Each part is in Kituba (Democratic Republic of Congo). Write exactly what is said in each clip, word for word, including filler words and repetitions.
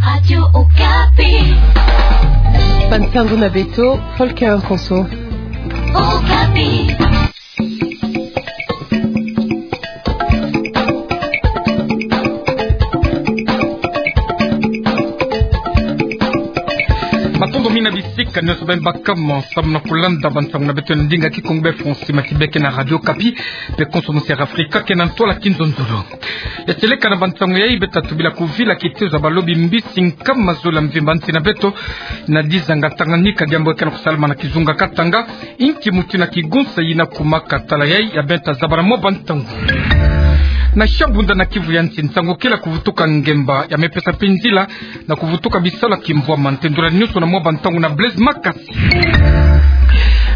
Radio Okapi. Bansango na beto, Volker Nkonso. Okapi. Matondo mingi na bisika nyonso beno bakama samu na kulanda bansango na beto na ndinga Kikongo be Français, mati beke na Radio Okapi, mpe konso monsere Afrika ke na ntwala kinzonzolo. Ya seleka na bansango yai, beto tobila kuvila kitezo ya balobi mbisi nkama zole ya mvimba nsi na beto, na dizanga Tanganyika, diambu ya ke na kusalama na kizunga Katanga, inki mutindu ya kigonsa yina kumaka? Tala yai ya beno tazaba na mwa bantangu. Na Shabunda na Kivu ya nsi, nsangu kele ya kuvutuka ngemba ya mepesa mpe nzila na kuvutuka bisalu ya kimvwama. Ntendula nyonso na mwa bantangu na Blaise Makasi.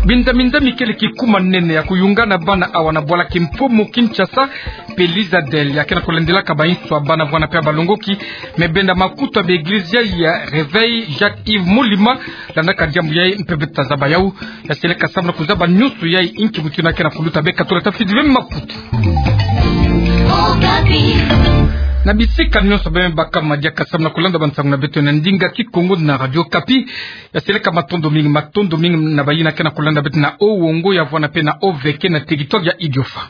Bindamindami kele kikuma nene ya kuyungana bana awa na bwala kimfumu Kinshasa, mpe Lizadel ya ke na kulandilaka bainso ya bana vwanda mpe ya balongoki, me benda makutu ya ba eglise ya Réveil Jacques-Yves Mulima, landaka diambu yai mpe beto tazaba yau. Ya seleka samu na kuzaba nyonso yai, inki mutindu ya ke na kuluta, beno katula tafidi ve makutu. Na bisika nyonso beno bakama diaka samu na kulanda bansango na beto na ndinga Kikongo na Radio Okapi. Ya seleka matondo mingi, matondo mingi na bayina ke na kulanda beto na Haut-Uélé ya vwanda mpe na Haut-Vieux na territoire ya Idiofa.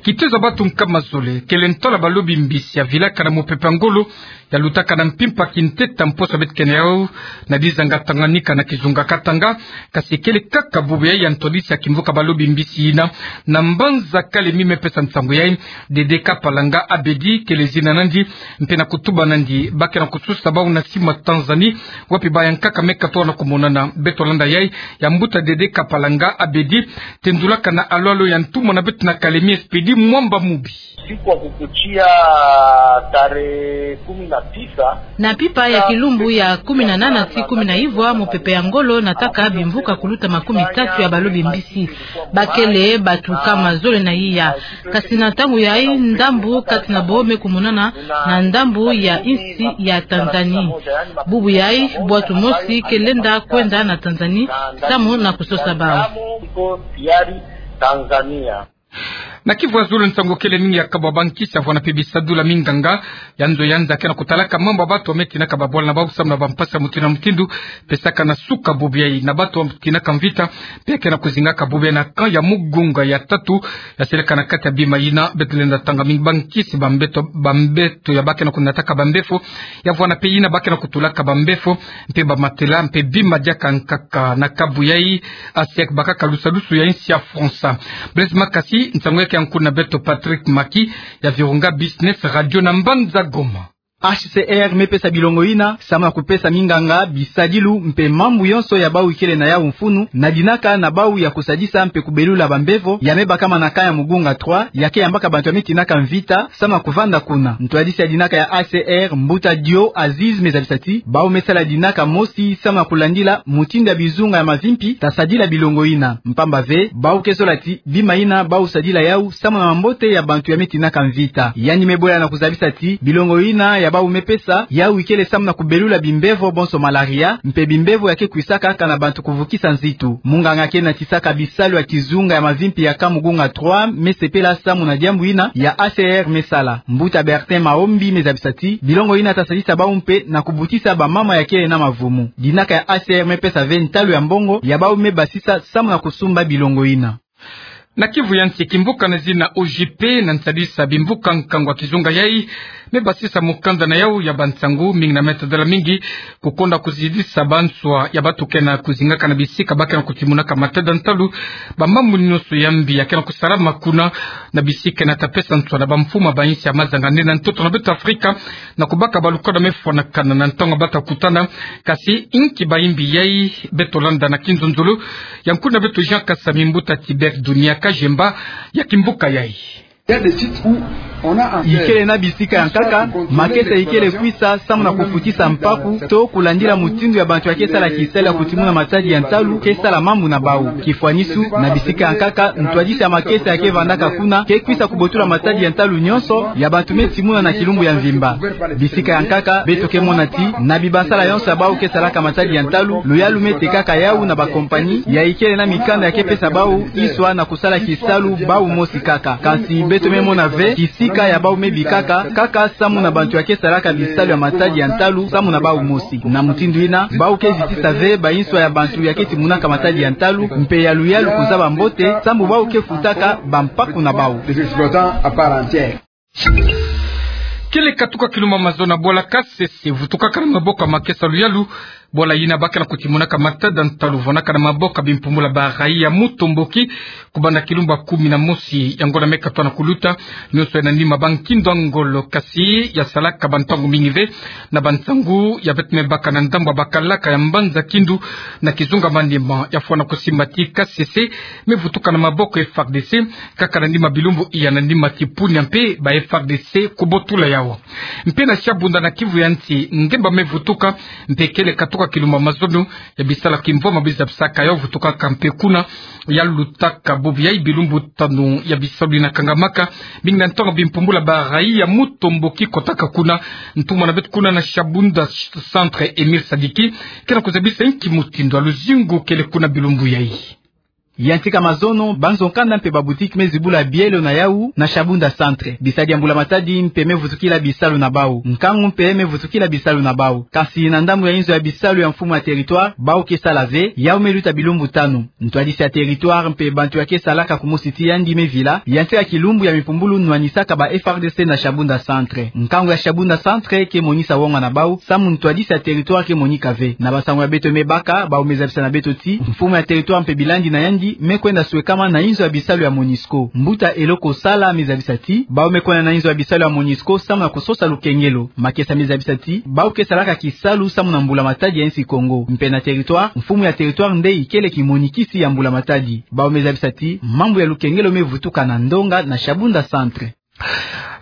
Kitezo ya bantu nkama zole kele ntwala balobi mbisi ya vilaka na mopepe ya ngolo, ya lutaka na mpimpa kinteta mposo beto ke na yau na dizanga Tanganyika na kizunga Katanga. Kasi kele kaka bubu yai ya ntwadisi ya kimvuka balobi mbisi yina na mbanza Kalemi me pesa nsangu yai, Dede Kapalanga Abedi kele zina nandi, mpe na kutuba nandi ba ke na kususa bau na sima Tanzanie, wapi baya nkaka me katona kumonana. Beto landa yai ya mbuta Dede Kapalanga Abedi, tendulaka na alwalo ya ntumwa na beto na Kalemi, Expédit Mwamba Mubi. Siku ya kukuchia tarehe kumi na tisa. Na mpimpa ya kilumbu ya kumi na nana ti kumi na ivwa, mopepe ya ngolo nataka bimvuka kuluta makumi tatu ya balobi mbisi. Ba kele bantu nkama zole na iya. Kasi na ntangu yai, ndambu kati na bo me kumonana na ndambu ya insi ya Tanzanie. Bubu yai, bwatu mosi ke lenda kwenda na Tanzanie samu na kusosa bau. Na Kivu ya zulu, nsangu kele mingi ya kabwa bankisi ya vwanda mpe bisadulu ya minganga ya nzo ya nza ke na kutalaka mambu ya bantu ya me tinaka babwala na bau samu na bampasi ya mutindu na mutindu, pesaka na suka bubu yai na bantu ya me tinaka mvita, mpe ke na kuzingaka bubu yai na camp ya Mugunga ya tatu. Ya seleka na kati ya bima yina beto lenda tanga mingi bankisi, bambeto, bambeto ya ba ke na kunataka bambefo, ya vwanda mpe yina ba ke na kutulaka bambefo, mpe bamatela, mpe bima diaka nkaka na kabu yai, A C R bakaka lusalusu ya insi ya France. Blaise Makasi, nsangu ya ke ya nkuna beto Patrick Maki ya Virunga Business Radio na mbanza Goma. H C R me pesa bilongo yina samu na kupesa minganga bisadilu mpe mambu yonso ya bau ikele na yau mfunu, na dinaka na bau ya kusadisa mpe kubelula bambevo ya me bakama na camp ya Mugunga trois, ya ke yambaka bantu ya me tinaka mvita samu na kuvanda kuna. Ntwadisi ya dinaka ya A C R, mbuta Dio Aziz, me zabisa ti bau me sala dinaka mosi samu na kulandila mutindu ya bizunga ya mavimpi ta sadila bilongo yina. Mpamba ve, bau ke zola ti bima yina bau sadila yau samu na mambote ya bantu ya me tinaka mvita. Yandi me bola na kuzabisa ti bilongo yina ya bau me pesa yau ikele samu na kubelula bimbevo bonso malaria, mpe bimbevo ya ke kwisaka kana bantu kuvukisa nzitu. Munganga ke natisaka bisalu ya kizunga ya mavimpi ya camp Mugunga trois me sepela samu na diambu yina ya A C R me sala. Mbuta Bertin Maombi me zabisa ti bilongo yina ta sadisa bau mpe na kubutisa bamama ya kele na mavumu. Dinaka ya A C R me pesa ve ntalu ya mbongo ya bau me basisa samu na kusumba bilongo yina. Na Kivu ya nsi, kimvuka na zina O J P, na nsadisa bimvuka nkangu ya kizunga yai, me basisa mukanda na yau ya bansangu mingi na me tadala mingi kukonda kuzidisa banswa ya bantu ke na kuzingaka na bisika ba ke na kutimunaka matada ntalu. Bamambu nyonso ya mbi ya ke na kusalama kuna na bisika na ta pesa nswa na bamfumu ya bainsi ya mazanga nde na ntoto na beto Afrika, na kubaka balukolo me fwanakana na ntangu ba ta kutana. Kasi inki bayimbi yai? Beto landa na kinzonzolo ya nkuna beto Jean Kasami, mbuta Tibert Dunia Kajemba, ya kimvuka yai. Ikele na bisika ya nkaka makesa ikele kwisa samu na kufutisa mpaku to kulandila mutindu ya bantu ya ke sala kisalu ya kutimuna matadi ya ntalu ke sala mambu na bau. Kifwanisu, na bisika ya nkaka, ntwadisi ya makesa ya ke vandaka kuna ke kwisa kubotula matadi ya ntalu nyonso ya bantu me timuna na kilumbu ya mvimba. Bisika ya nkaka, beto ke mona ti na bibasala yonso ya bau ke salaka matadi ya ntalu, luyalu me tekaka yau na bakompanyi ya ikele na mikanda ya ke pesa bau iswa na kusala kisalu bau mosi kaka. Kasi Beto me mona ve kisika ya bau me bikaka, kaka samu na bantu ya ke salaka bisalu ya matadi ya ntalu samu na bau mosi. Na mutindu ina, bau ke zitisa ve bayinswa ya bantu ya ke timunaka matadi ya ntalu, mpe ya luyalu kuzaba mbote, samu bau ke futaka bampaku na bau. Kele katuka kilumbu mazono na bwala Kasese, vutukaka na maboko ya makesa luyalu, bwala yina ba ke na kutimunaka matadi ya ntalu, vwanaka na maboko ya bimpumbulu ba raia mutomboki, kubanda kilumbu kumi na mosi, yango na me katwa na kuluta, nyonso ya na nima ba nkindu ya ngolo, kasi ya salaka bantangu mingi ve, na bantangu ya beto me baka na ndambu ya bakalaka ya mbanza Kindu, na kizunga manima, ya fwana kusimba ti Kasese me vutuka na maboko F A R D C, kaka na nima bilumbu ya na nima tipunia mpe ba F A R D C kubotula yau. Mpe na Shabunda na Kivu ya nsi, ngemba me vutuka, mpe kele katuka kilumbu mazono, ya bisalu ya kimvwama bizabisaka yau vutukaka mpe kuna, ya lutaka bubu ya bilumbu tanu ya bisalu yina kangamaka, mingi na ntonga bimpumbulu ba raia mutomboki kotaka kuna, ntumwa na beto kuna na Shabunda Centre Emile Sadiki, ke na kuzabisa nki mutindu ya luzingu kele kuna bilumbu yai. Ya ntika mazono, banzo nkanda mpe babutiki me zibula bielo na yau na Shabunda Centre. Bisadi ya mbula matadi mpe me vutukila bisalu na bau. Nkangu mpe me vutukila bisalu na bau. Kasi na ndambu ya inzo ya bisalu ya mfumu ya territoire, bau ke sala ve, yau me luta bilumbu tanu. Ntwadisi ya territoire mpe bantu ya ke salaka kumosi ti yandi me vila, ya ntika kilumbu ya mipumbulu nwanisaka ba F A R D C na Shabunda Centre. Nkangu ya Shabunda Centre ke monisa wonga na bau, samu ntwadisi ya territoire ke monika ve. Na bansangu ya beto me baka, bau me zabisa na beto ti mfumu ya territoire mpe bilandi na yandi me kwenda swekama na inzo ya bisalu ya MONUSCO. Mbuta Eloko Sala me zabisa ti, bau me kwenda na inzo ya bisalu ya MONUSCO samu na kusosa lukengelo. Makesa me zabisa ti, bau ke salaka kisalu samu na mbula matadi ya insi Kongo. Mpe na territoire, mfumu ya territoire nde ikele kimonikisi ya mbula matadi. Bau me zabisa ti, mambu ya lukengelo me vutuka na ndonga na Shabunda Centre.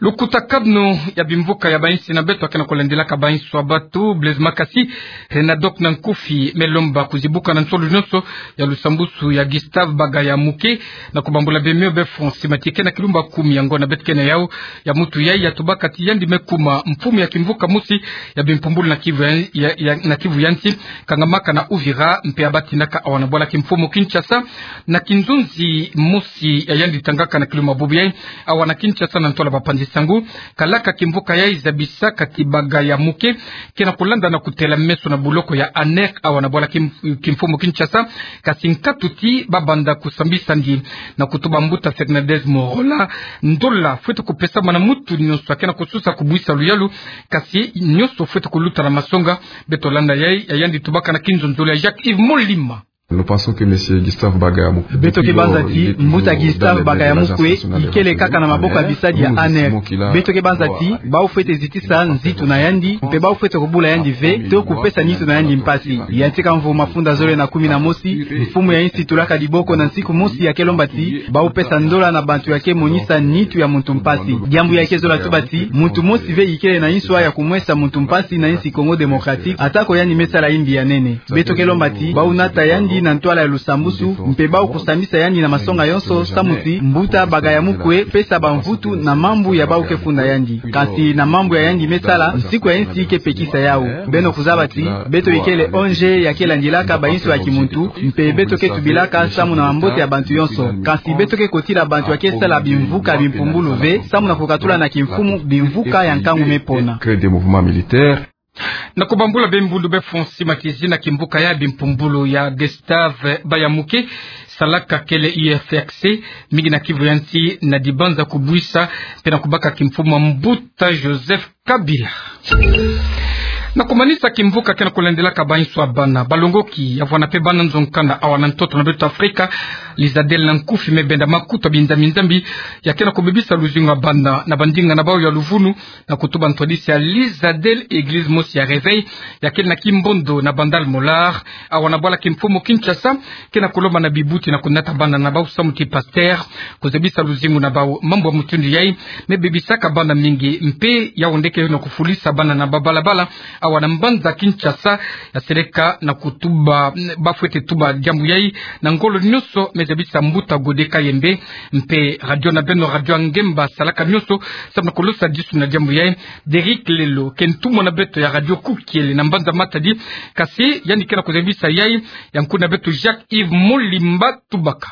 Lukutakanu ya bimvuka ya bainsi na beto ya ke na kulandilaka bainsi ya bato, Blaise Makasi, Renadoc na nkufi, me lomba kuzibuka na nsolo nyonso ya lusambusu ya Gustave Bagaya Muke, na kubambula bemio be Francis Matike na kilumbu kumi, yango na beto ke na yau, ya mutu yai ya tubaka ti yandi me kuma mfumu ya kimvuka mosi ya bimpumbulu na Kivu ya, ya, ya, na Kivu ya nsi, kangamaka na Uvira, mpe ya batinaka awa na bwala kimfumu Kinshasa, na kinzonzi mosi ya yandi tangaka na kilumbu bubu yai, awa na Kinshasa na ntola bapanzi sangu, kalaka kimvuka yai zabisaka ti Bagaya Muke ke na kulanda na kutela meso na buloko ya ANR awa na bwala kim-, kimfumu Kinshasa, kasi nkatu ti ba banda kusambisa ndi na kutuba mbuta Fernandez Morola, ndola fwete kupesama na mutu nyonso ya ke na kusosa kubuisa luyalu, kasi nyonso fwete kuluta na masonga. Beto landa yai, ya yandi tubaka na kinzonzolo ya Jacques Yves Molima. Nous pensons que Monsieur Gustave Bagaya Mukwe, beto ke banza ti mbuta Gustave Bagaya Mukwe ikele kaka na maboko ya bisadi ya ANR. Beto ke banza ti bau fwete zitisa nzitu na yandi, mpe bau fwete kubula yandi ve, to kupesa nitu na yandi mpasi. Ya ntika mvu mafunda zole na kumi na mosi, mfumu ya insi tulaka diboko na nsiku mosi ya ke lomba ti bau pesa ndola na bantu ya ke monisa nitu ya muntu mpasi. Diambu ya ke zola tuba ti muntu mosi ve ikele na inswa ya kumwesa muntu mpasi na insi Congo Démocratique, atako yandi me sala imbi ya nene. Beto ke lomba ti bau nata yandi na ntwala ya lusambusu, mpe bau kusambisa yandi na masonga yonso, samu ti mbuta Bagaya Mukwe pesa bamvutu na mambu ya bau ke funda yandi. Kasi na mambu ya yandi me sala, nsiku ya insi ke pekisa yau. Beno kuzaba ti beto ikele O N G ya ke landilaka bainsi ya kimuntu, mpe beto ke tubilaka samu na mambote ya bantu yonso. Kasi beto ke kotila bantu ya ke sala bimvuka bimpumbulu ve, samu na kukatula na kimfumu bimvuka ya nkangu me pona. Na kubambula bembundu be Fonsi Matizi na kimvuka ya bimpumbulu ya Gustave Bayamuke, salaka kele U F X, mingi na Kivu ya nsi na dibanza kubuisa, mpe na kubaka kimfumu mbuta Joseph Kabila. Na kumanisa kimvuka ke na kulandilaka bainsi ya bana, balongoki ya vwanda mpe bana nzo nkanda awa na ntoto na beto Afrika, Lizadel na nkufi me benda makuta binzambi-nzambi ya ke na kubebisa luzingu ya bana na bandinga na bau ya luvunu, na kutuba ntwadisi ya Lizadel, église mosi ya Réveil, ya kele na Kimbondo na Bandal Molar, awa na bwala kimfumu Kinshasa, ke na kulomba na bibuti na kunata bana na bau samu ti pasteur, kuzabisa luzingu na bau. Mambu ya mutindu yai me bebisaka bana mingi, mpe yau nde ke na kufulisa bana na babalabala awa na mbanza Kinshasa. Ya seleka na kutuba, ba fwete tuba diambu yai na ngolo nyonso, me zabisa mbuta Gode Kayembe, mpe radio na beno, radio ya ngemba, salaka nyonso samu na kulosa disu na diambu yai. Derrick Lelo, ke ntumwa na beto ya radio Kukiele na mbanza Matadi, kasi yandi ke na kuzabisa yai, ya nkuna beto Jacques Yves Molimba tubaka.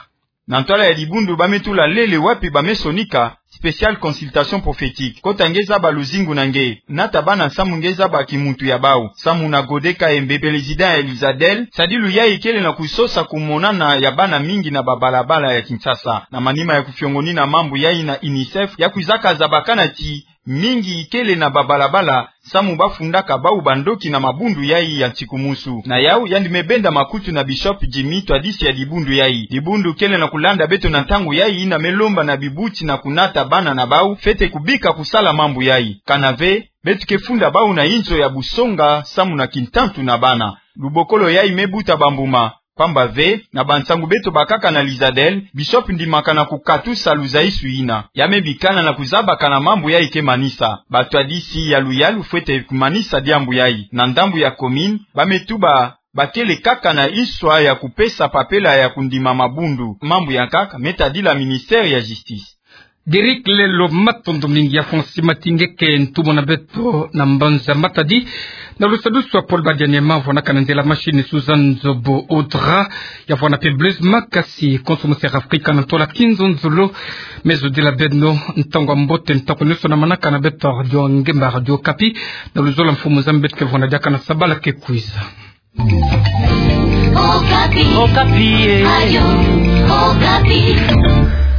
Na ntwala ya dibundu ba me tula lele wapi ba me sonika spécial consultation prophétique. Kota nge zaba luzingu na nge, nata bana samu nge zaba kimuntu ya bau. Samu na Gode Kayembe, président ya l'USADEL, sadilu yayi kele na kusosa kumonana ya bana mingi na babalabala ya Kinshasa. Na manima ya kufiongonina mambu yayi na UNICEF, ya kwizaka zabakana ti mingi kele na babalabala, samu ba fundaka bau bandoki na mabundu yayi ya nsikumusu. Na yau yandi me benda makutu na Bishop Jimmy, twadisi ya dibundu yayi. Dibundu kele na kulanda beto na ntangu yayi, yina me lomba na bibuti na kunata bana na bau, fwete kubika kusala mambu yayi. Kana ve, beto ke funda bau na inzo ya busonga, samu na kintantu na bana. Lubokolo yayi me buta bambuma. Pamba ve, na bansangu beto bakaka na l'USADEL, Bishop ndimaka na kukatusa luzaisu yina. Ya me bikana na kuzabakana mambu yayi ke manisa. Batwadisi ya luyalu fwete kumanisa diambu yayi. Na ndambu ya commune, ba me tuba, ba kele kaka na nswa ya kupesa papela ya kundima mabundu. Mambu yankaka me tadila ministère ya justice. Derick Lelo, matondo mingi. Ya fongsi matingeke ntumwa na beto na mbanza Matadi, na lusadusu ya pole badianiema, vwanaka na nzila machine Suzanne Zobo Audra, ya vwana pe Blaise Makasi, konso monsera Afrika na ntwala kinzonzolo. Me zodila beno ntangu ya mbote, ntangu nioso na manaka na beto Radio Ngemba, Radio Okapi, na luzolo ya mfumu Nzambi beto ke vwana diaka na sabala ke kwiza. Okapi. Okapi, eh. Radio Okapi.